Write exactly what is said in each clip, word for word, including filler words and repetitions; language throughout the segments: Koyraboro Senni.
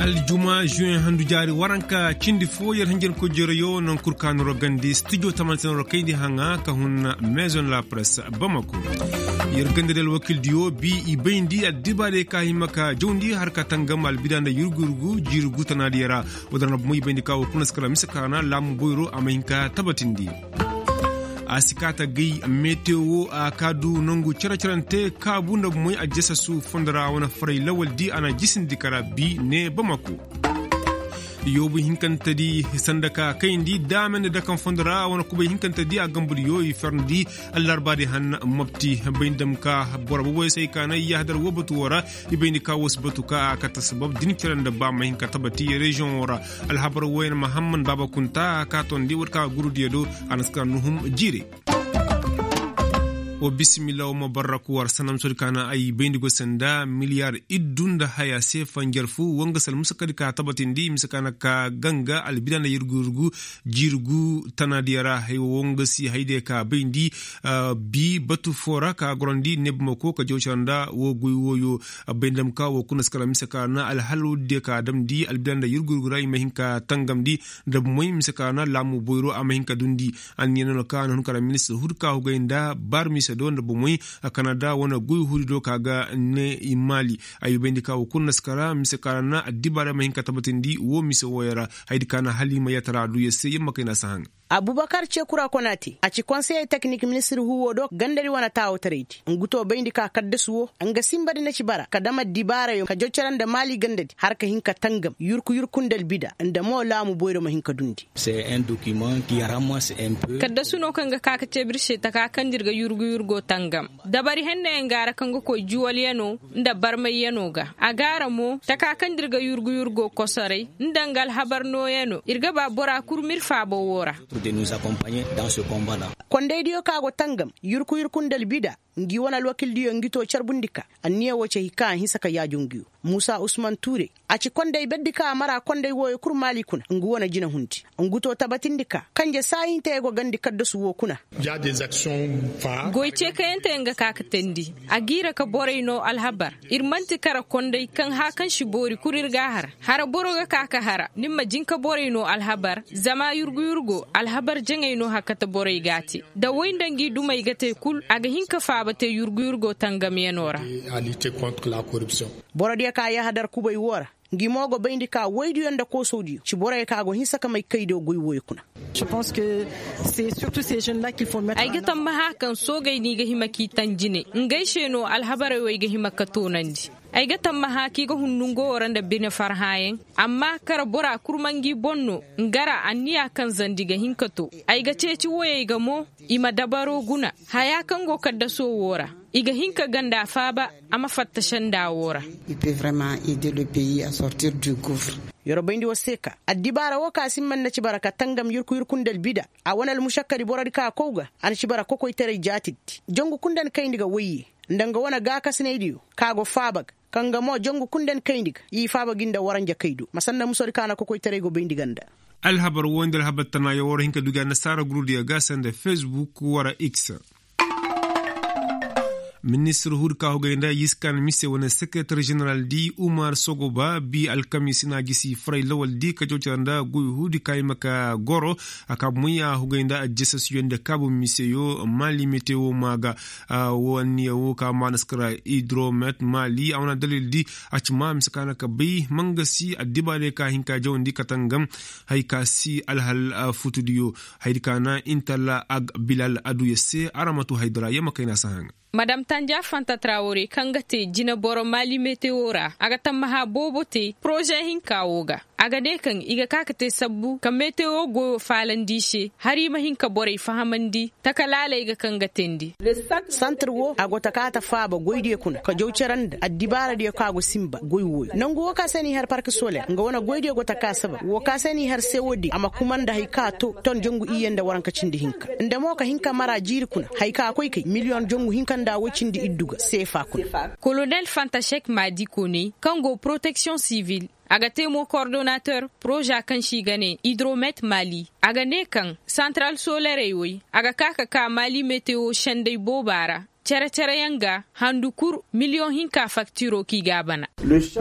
Aljuma zuwen handu jaari waranka cindi fo yer hanjarkoy jereyo naŋ kul ka noro gandi studio tamanti noro kayndi haŋa ka hun maison la presse bamako. Yer ganda di alwakildiyo bi i bayndi addibaarey ka hima ka jawndi har ka tangam albida nda yurgu yurgu jiiri gu tanaadiyo ra. Woo din ra bomo i bayndi ka woo kuna si kala mise ka ra na laamu boyro a ma hin ka tabatindi. A si kaata gay metewo a ka du nangu cere cerante kaabu nda bomoy a jesasu fondo ra wane faray lawal di a na jisindi kara bi ne bamako. Yoobu hinkante di sanda ka kayndi daame nda dakan fondo ra wane kubay hinkante di a gambu di yo i ferndi. Allarba di han mopti bay nda dam ka boro boboy se ay ka na i yahadar woo batu woo ra. I bayndi ka woo si batu ka a kate sabab din cere nda ba ma hin ka tabati reziyoŋ woo ra. Alhabar woo yaŋ mahamman baaba kunta a ka tondi woo di ka guru diyo do. A na si ka nuhum jiire. Wa bisimilla wa ma barraku war sanam sodi ka na ay bayndi go sanda miliyar iddu nda haya se fanjar fu woo nga sal musa kadi ka tabatindi mise ka na ka ganga albida nda yurgu yurgu jiiri gu tanaadiyo ra hay woo nga si hay diyo ka bayndi. Bi batu foo ra ka gorandi nebumako ka jawcara nda woo goy wooyo. Bay nda dam ka woo kuna si kala mise ka na alhal woo diyo ka damndi albida nda yurgu yurgu ra i ma hin ka tangamndi. Nda bomoy mise ka na laamu boyro a ma hin ka dundi. Anniya no na ka na hun kala ministir hudi ka hugay nda bar mise do nda bomoy. Kanada wane goy hudi do ka ga ne i maali. Ay bayndi ka woo kuna si kala mise ka na addibaarey ma hin ka tabatindi woo mise wooyo ra. Haydi ka na hala i ma yatara du yer se yer ma kay na si haŋ. Abubakar cekura konate a ci konseyey teknik ministir huuwo do gandadi wane taawataraydi. Ngu to bayndi ka kaddasu woo nga sinbadi na ci bara ka dam addibaarayo ka jocora nda maali gandadi har ka hin ka tangam yurku yurku nda albida nda mo laamu boyro ma hin ka dundi. Kaddasu no kaŋ ga ka ka ceebir se taka kaŋ da ir ga yurgu yurgo tangam. Dabari hennayaŋ go a ra kaŋ ga koy juwalyano nda barmayyano ga a go a ra mo taka kaŋ da ir ga yurgu yurgo kosoray nda nga alhabar nooyano ir ga ba bora kul ma ir faaba woo ra. Kondaydiyo kaŋ a go tangam yurku yurku nda albida ngi wane alwakildiyo ngi to carbundi ka anniya woo ci hay kaŋ a hinsa ka yaajo ngiyo. Muusa usman tuure a ci konday berdi ka a mara konday wooyo kul maali kuna ngu wane jinahundi. Ngu to tabatindi ka kanje saahintey go gandi kaddasu woo kuna. Goy ceekayanteyaŋ ga ka ka teendi a giira ka borey noo alhabar. Ir man'ti kara konday kaŋ hã kaŋ si boori kul ir g'a har hara boro ga ka ka hara ni ma jin ka borey noo alhabar. Zama yurgu yurgo alhabar jaŋay no hakkate borey g'a te da woy nda ngi dumey ga te kul a ga hin ka faaba te yurgu yurgo tangamyanoo ra. Borodiyo ka yahadar kubay woo ra ngi mo go bayndi ka woydiyo nda koosodiyo ci borey ka go hinsa ka may kaydiyo goy wooyo kuna. Ay ga tammaha kaŋ soogey no i ga hima k'i taŋ jine ngey se no alhabarey wo ay ga hima ka toonandi. Ay ga tammaha k'i ga hundu nga woo ra nda bine farhãyaŋ. Amma kara bora kul ma ngi boŋ no nga ra anniya kaŋ zandi ga hin ka to. Ay ga ceeci woyey ga mo i ma dabaro guna haya kaŋ go kaddasoo woo ra. I ga hin ka ganda faaba a ma fatta senda woo ra. Yer bayndi war se ka addibaara woo ka simba nda ci bara ka tangam yurku yurku nda albida. A wane almušakkadi borodi ka kow ga a na ci bara kokoytaray jaatidi. Jangu kul nda ni kayndi ga woyye nda nga wane gaakasinaydiyo ka go faaba ga kaŋ ga mo jangu kul nda ni kayndi ga i faaba gi nda waranja kay do ma sanda musodi ka na kokoytaray go bayndi ganda. Alhabar woo nda alhabar tanaayoo war hin ka du ga annasaara gurudiyo ga sanda fesbuk wara x. Ministir hudi ka hugay nda yiskan mise wane sekeretar jeneral di umar sogoba bi alkamiisi na gisi faray lawal di ka jawcara nda goy hudi ka hima ka goro. A ka bumoy a hugay nda aljasasiyo nda kaabu miseyo maali metewo maaga. Woo anniya woo ka maanaskara hidromet maali a wane dalil di a ci ma mise ka na ka bay mangasi addibaarey ka hin ka jawandi ka tangam. Hay ka si alhal futudiyo. Haydi ka na intalla ag bilal aduya se araŋ ma tu haydara yamma kayna si haŋ. Madam tanja fanta trawore kaŋ ga te jineboro mali metewo ra a ga tammaha boobo te poroze hinka wo ga. A ga ne kaŋ i ga ka ka te sabbu ka metewo goyo faalandi i se hari i ma hin ka borey fahamandi. Taka laaley ga kaŋ ga teendi. Santir wo a go ta kaata faaba goydiyo kuna ka jaw cere nda addibaaradiyo kaŋ a go sinba goy wooyo nangu wo ka se n'i har park soler nga wane goydiyo go ta ka saba wo ka se n'i har se woodin a ma kuma nda hari kaŋ a to ton jangu iyye nda waranka cindi hinka nda mo ka hin ka mara jiiri kuna hari kaŋ a koy kay miliyoŋ jangu hinka nda woy cindi iddu ga seefa kuna. Kolonel fantashek maadi kooney kaŋ go poroteksiyoŋ sivil a ga te mo kordonater poroza kaŋ se i ga ne idromet mali. A ga ne kaŋ santaral solerey woy a ga ka ka ka mali metewo senday booba ra. Cere-cere yaŋ ga handu kul miliyoŋ hinka faktiro kaŋ i ga a bana.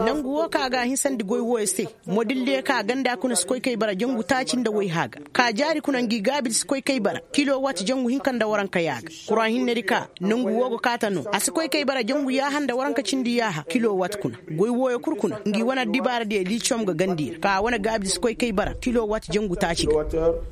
Nangu wo kaŋ a ga a hinsandi goy wooyo se, modil diyo kaŋ a ganda kuna si koy kay bara jangu taaci nda wayha ga. Ka jaari kuna ngi gaabi di si koy kay bara kilo waati jangu hinka nda waranka yaaga. Kura hinne di ka nangu wo go kaata no a si koy kay bara jangu yaaha nda waranka cindi yaaha kilo waati kuna. Goy wooyo kul kuna ngi wane dibaara diyo liiciyom ga gandi ra ka wane gaabi di si koy kay bara kilo waati jangu taaci ga.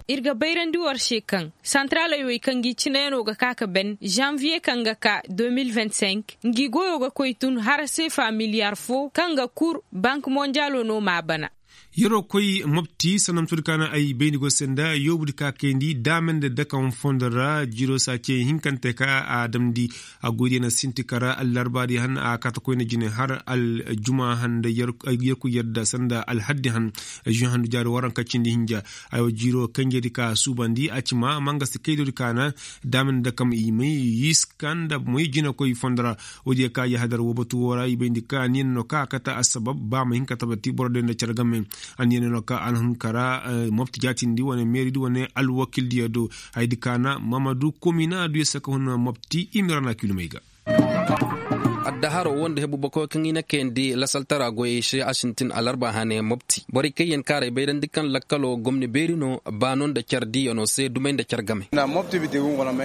Ir ga bayrandi war se kaŋ santaraaley wey kaŋ gi cinayanoo ga ka ka ben zanviye kaŋ ga ka deux mille vingt-cinq, ngi goyoo ga koy tun har seefa miliyaar foo kaŋ ga kur bank monjaaloo no m'a bana. Yeroo koy mopti sannamtudi ka na ay bayndi go se nda yoobudi ka kayndi daamey nda dakaŋ fondo ra jiroo se a ce hinkante ka a damndi. A goydiyo na sinti kara allarbaadi han a kaata koyne jine har aljuma han nda yerku yadda sanda alhaddi han. Zuwe handu jaari waranka cindi hinja. Aywa jiiroo kanjedi ka suubandi a ci ma mangasi kaydoodi ka na daamey nda dakaŋ i may yiska nda moy jinakoy fondo ra. Woodiyo ka yahadar woo batu woo ra i bayndi ka anniya no ka a kate assabab ba ma hin ka tabati boro diyo nda cere game. Anniya no ka alhunkara mopti jaatindi wane meeridi wane alwakildiyo do. Hayadi ka na mamadu komina du ya saka hun mopti i ma ra na kilumey ga. Addaharoo woo nda hebu bakoy kaŋ i na kayandi lasaltara goyey se a sintin alarba hane mopti borey kaŋ yaŋ kaarey bayrandi kaŋ lakkaloo gomni beeri no baano nda care diiyanoo se dumey nda care game.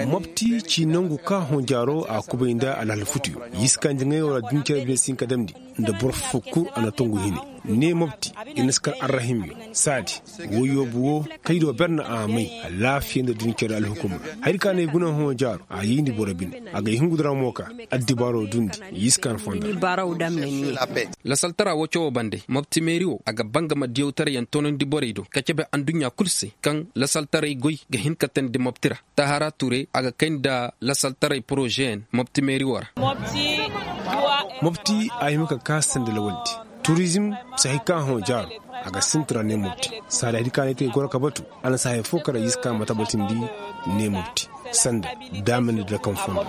Mopti ci nangu ka honjaaroo a kubay nda alhal futuyo. Yiska njaŋayoo ra duncare bine si hin ka damndi nda boro foo kul a na tongu hine. Ne mopti i na si kar arrahimyo saadi. Woyoobu woo kaydo ber na a may alaafiya nda duncare alhukumra. Hayadi ka na ay guna honjaaroo a yayndi boro bine. A ga ay hungu dira mo ka addibaaroo dundi. Yiska na fondo. Lasaltara woo cawoo bande mopti meeri woo a ga baa nga ma diyawtarayaŋ toonandi borey do ka cebe adduɲɲa kul se kaŋ lasaltaray goy ga hin ka teendi mopti ra. Tahara ture a ga kay nda lasaltaray porozeyaŋ mopti meeri woo ra. Mopti a hima ka kaa sanda lawaldi turizim. Sahay ka hõ jaaro a ga sinti ra ne mopti. Saada hidi ka ne te goro ka batu a na sahay fo kara yiska ma tabatindi ne mopti sanda daamandi da kaŋ fondo.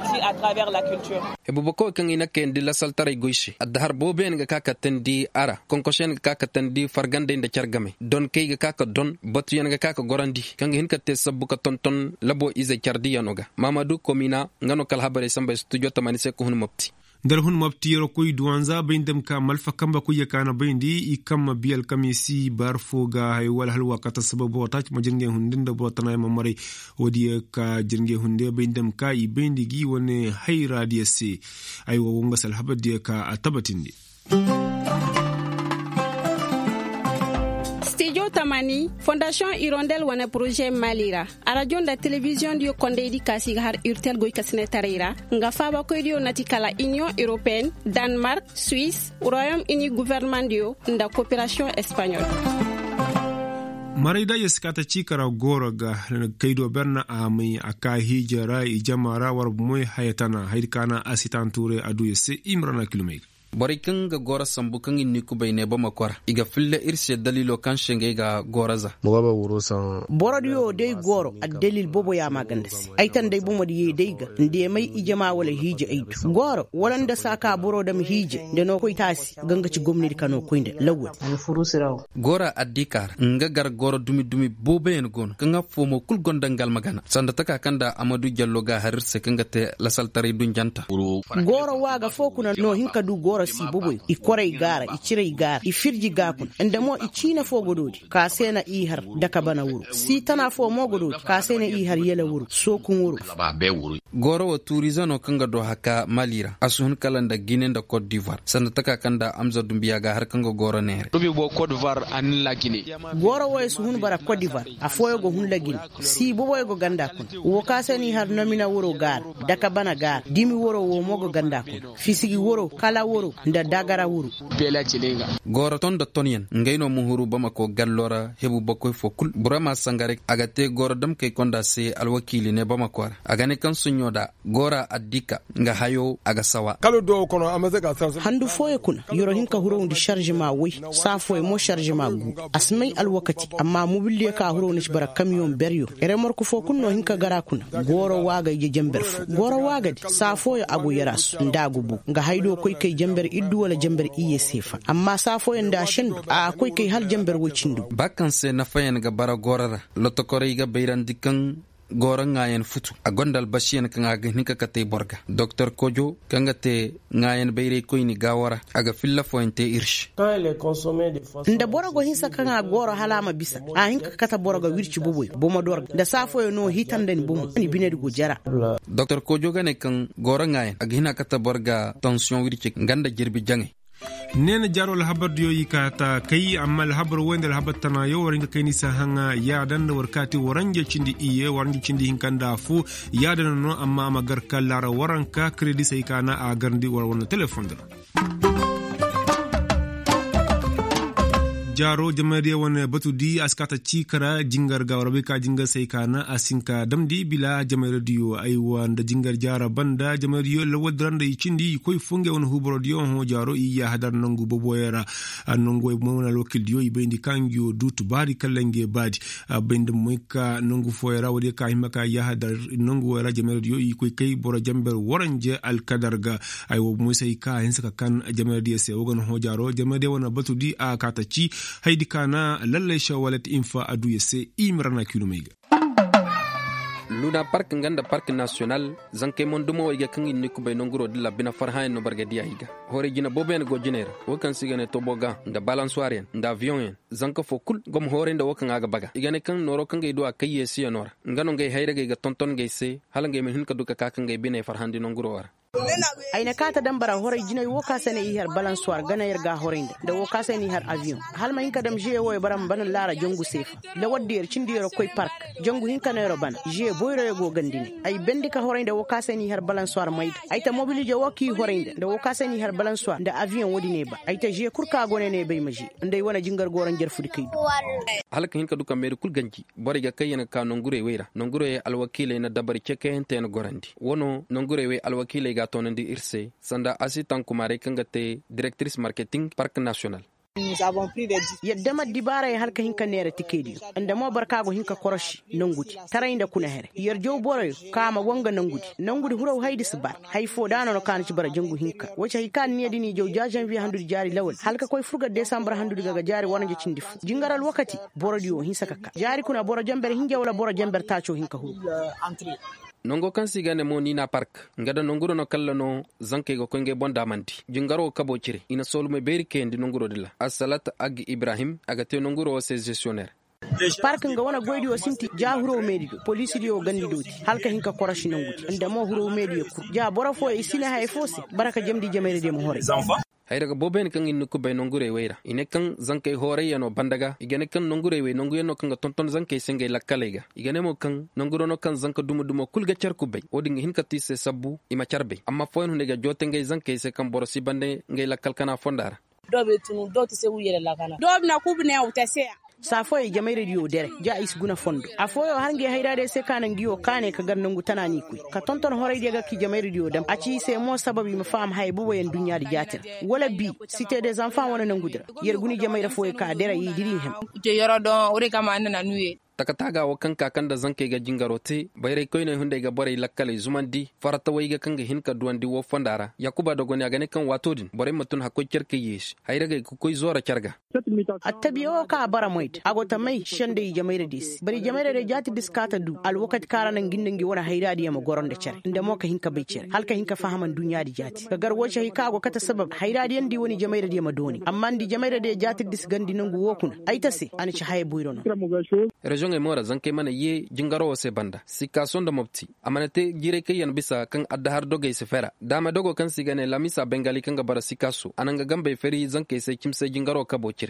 Hebu bakoy kaŋ i na kayandi lasaltaray goy se addahar booboyaŋ ga ka ka teendi a ra konkosoyaŋ ga ka ka teendi fargandey nda care game donkey ga ka ka don batuyaŋ ga ka ka gorandi kaŋ ga hin ka te sabbu ka tonton labo ize care diiyanoo ga. Maamadu komina nga no ka alhabarey samba studio tamaani se ka hun mopti. Nda alhun mopti yeroo koy duwanza bay nda ma ka malfa kamba koy ya ka na bayndi i kaŋ ma bi alkamiisi bar foo ga haya wala hala waakaata sabab boro taaci ma jir ngey hunde nda boro tana ya ma maray. Woodiyo ka jir ngey hunde bay nda ma ka i bayndi gi wane hayra diyo se. Aywa wo nga se alhabar diyo ka a tabatindi. Stijo tamani fondasiyoŋ irondel wane poroze mali ra. Arajo nda telebiziyoŋ diyo kondaydi kaasi ga har urtel goy kasinetaray ra nga faabakoydiyo na ti kala iniyoŋ europeen, danmark, suwis, royom ini guvernemandiyo nda koperasiyoŋ espaɲol. Marayda yesikaata ciika ra gooro ga kaydo berna a may a ka hiija ra i jama ra war moy haya tana haydi ka na asitan tuuray a du ya se i ma ra na kilomey ga. Borey kaŋ ga gooro sambu kaŋ i n'i kubay ne bamako ra i ga filla ir se daliilo kaŋ se ngey ga gooro za. Borodiyo day gooro addalil boobo ya maaganda se ay taŋ day bomodiyo day ga ndeemay ijama wala hiije ay du gooro wala nda saaka boro dam hiije nda no koy taasi ga nga ci gomnadi ka no koy nda lawwal. Goora addiika ra nga gar gooro dumi dumi booboyaŋ go no kaŋ affoo mo kul gonda nga almagana sanda taka kaŋ nda amadu jallo ga har ir se kaŋ ga te lasaltaray dunjanta. Gooro waaga foo kuna no hin ka du gooro si boboyo i koray gaara i ciray gaara i firji ga kuna nda mo i ciine foo godoodi ka se na i har daka bana wuro si tana foo mo godoodi ka se na i har yala wuro sookun wuro. Gooro wo tuurize no kaŋ ga do haka mali ra a si hun kala nda gine nda kot divoir sanda taka kaŋ nda amza dumbiya ga har kaŋ ga gooro neere. Gooro wo ya si hun bara kot divoir afooyaŋ go hun lagine si boboyaŋ go ganda kuna wo ka se n'i har nomina wuro gaara daka bana gaara dimi wuro wo mo go ganda kuna fisigi wuro kala wuro nda dagara wuro. Gooro ton nda tonyaŋ ngey no ma huru bamako gallo ra hebu bakoy fo kul burama sangare a ga te gooro damkey konda se alwakiili ne bamako ra a ga ne kaŋ suɲɲo da goora addiika nga hayo a ga sawa. Handu fooyaŋ kuna yoro hin ka hurowndi sarzema woy saa fooyaŋ mo sarzema gu a si may alwakati amma mobildiyo ka hurowndi si bara kamiyoŋ beryo. Remork foo kul no hin ka gar a kuna gooro waaga ije jamber fo gooro waagadi saa fooyaŋ a go yaraasu nda a go bu nga haydo koy kay jamber iddu wala jamber iyye seefa amma saa fooyaŋ nda a sendu a koy kay hala jamber woy cindo. Ba kaŋ se nafayaŋ ga bara gooro ra lotokorey ga bayrandi kaŋ gooro ŋaayan futu a gonda albasiyan kaŋ a ga hin ka katay boro ga doktor kojo kaŋ ga te ŋaayan bayraykoyni gaawo ra a ga filla fooyaŋ te ir se. Nda boro go hinsa kaŋ a gooro hala a ma bisa a hin ka kate boro ga wirci boboy bomo do ra nda saa fooyaŋ no hiitandani bomo ni binedi go jara. Doktor kojo ga ne kaŋ gooro ŋaayan a ga hin a kate boro ga tansiyoŋ wirci nga nda jirbi jaŋay. Neena jaaro alhabar diyo i ka ta kay amma alhabar woy nda alhabar tana yo war nga kay ni sa haŋa yaada nda war kaati waranja cindi iye waranja cindi hinka nda fu. Yaada no no amma a ma gar ka laara waranka kredi say ka na a garndi war wane telefoŋ dira. Jaaro jamayra diyo wane batu di a si ka ta ciika ra jingar ga war bay ka jingar say ka na a si hin ka damndi bila jamayra diyo aywa nda jingar jaara banda jamayra diyo lawal dira nda i cindi i koy fo ngey wane huuboro diyo hõ jaaro i yaahadar nangu boboyaŋ ra. Nangu way mo wane alwakil diyo i bayndi ka ngiyo du tubaari kala ngey baadi. A bayndi moy ka nangu fooyaŋ ra woodiyo ka hima ka yaahadar nangu way ra jamayra diyo i koy kay boro jamber waranje alkadar ga. Ay wo moy se ay ka a hinse ka kan jamayra diyo se wo ga na hõ jaaro jamayra diyo wane batu di a ka ta ci haydi ka na lallay se walet infa aduya se i ma ra na kiilum ay ga. Luna park nga nda park nasiyonal zankey mondumo wey ga kaŋ i na ni kubay nonguro dilla bine farhãyaŋ no boro ga diya i ga. Horay jine booboyaŋ go jiney ra wo kaŋ se i ga ne toboga nda balansuwaryaŋ nda aviyoŋyaŋ. Zanka fo kul go ma hooray nda wo kaŋ a ga baga i ga ne kaŋ nooro kaŋ ga ay du a kay yeesiyano ra nga no nga ay hayragey ga tonton nga ay se hala nga ay ma hin ka du ka ka ka nga ay biney farhandi nonguro ra. Ay na kaata daŋ bara horay jinay wo ka se no i har balansuwar gana yer ga a horay nda nda wo ka se no i har aviyoŋ. Hala ma hin ka daŋ žeye wo yer bara ma bana laara jangu seefa. Lawar da yer cindi yer koy park jangu hinka no yer bana žeye boyro yer go gandi ne ay bendi ka horay nda wo ka se no i har balansuwar mayda ay ta mobilize wo ka i horay nda nda wo ka se no i har balansuwar nda aviyoŋ wo- din ay ba ay ta žeye kul ka go ne no ay bay ma žeye nda ay wane jingar gooro njarfudi kay du. Hala ka hin ka du ka meeri kul ganji borey ga kay yer ga ka nongurey wey ra nongurey alwakiiley na dabari cekayante yer gorandi wano nongurey wey alwakiiley ga a toonandi ir se sanda asitaŋ kumaarey kaŋ ga te direktiris marketing park nasiyonal. Yer dema dibaarey hala ka hin ka neera tikediyo nda mo boro ka go hin ka korosi nongudi taray nda kuna here yer jaw boroyo ka a ma go nga nongudi nongudi huraw haydi si bar. Hay fo da no no ka na ci bara jangu hinka wace hay ka na niya da ni jaw ja zanviye handudi jaari lawal hala ka koy furga desambar handudi ga ga jaari waranja cindi fo jingar alwakati. Borodiyo hinsa ka ka jaari kuna boro jamber hinja wala boro jamber taaco hinka huru. Nango kaŋ se i ga ne mo niina park nga da nonguro no kalla no zankey ga koy ngey boŋ daamandi jingaro kabo cire i na soolumey beeri kayandi nonguro dila asalat ag ibrahim a ga te nonguro wo se zesiyoner. Park nga wane goydiyo sinti ja huro meediyo poliisidiyo gandidoti hala ka hin ka korosi nongudi nda mo huro meediyo kul ja boro fooyo i si ne haya fo se bara ka jamdi jamayra diyo ma horay. Hayra ga booboyaŋ kaŋ i na ni kubay nongurey wey ra i ne kaŋ zankey hoorayyanoo banda ga i ga ne kaŋ nongurey wey nonguyaŋ no kaŋ ga tonton zankey se ngey lakkaley ga i ga ne mo kaŋ nonguro no kaŋ zanka dumo-dumo kul ga car kubay wo-din ga hin ka te i se sabbu i ma car bay amma fooyaŋ hunday ga joote ngey zankey se kaŋ boro si bande ngey lakkal kana fonda ra. Saa fooyey jamayradiyo dere ja i si guna fondo afooyo har ngey hayraadiyo se ka na ngiyo kaanay ka gar nangu tana n'i koy ka tonton horaydiyo ga ki jamayradiyo dam a ci i se mo sabab i ma faham haya boboyaŋ duɲɲaadi jaati ra wala bi site de zanfaŋ wane nangudi ra. Yer guni jamayra fooyo ka dere i diri i hem. Takataaga wo kaŋ ka kaŋ nda zankey ga jingaro te bayraykoyney hunday ga borey lakkaley zumandi faratawey ga kaŋ ga hin ka duwandi wo fonda ra yaakuba dogoni a ga ne kaŋ waato din borey ma tun hakkoy care kay yeesi hayragey ga koy zoora care ga. Attabiya wo ka a bara moy da a go ta may sendey jamayradiyo se bari jamayradiyo jaati da si ka ta du alwakati kaŋ a ra na ngi nda ngi wane hayraadiyo ma goro nda care nda mo ka hin ka bay care hala ka hin ka faham nduɲɲaadi jaati ka gar wo ci hay kaŋ a go kate sabab hayraadiyo nda i wane jamayradiyo ma dooni amma nda jamayradiyo jaati da si gandi nangu wo kuna ay ta se a na ci haya boyro no. Reziyoŋey mo ra zankey mana ye jingaro wo se banda sikaaso nda mopti a mana te jiiray kaŋ yaŋ bisa kaŋ addahar dogey si fera daama dogo kaŋ se i ga ne lamisa bengali kaŋ ga bara sikaaso a na nga gambey feri zankey se cimse jingaro kabo cire.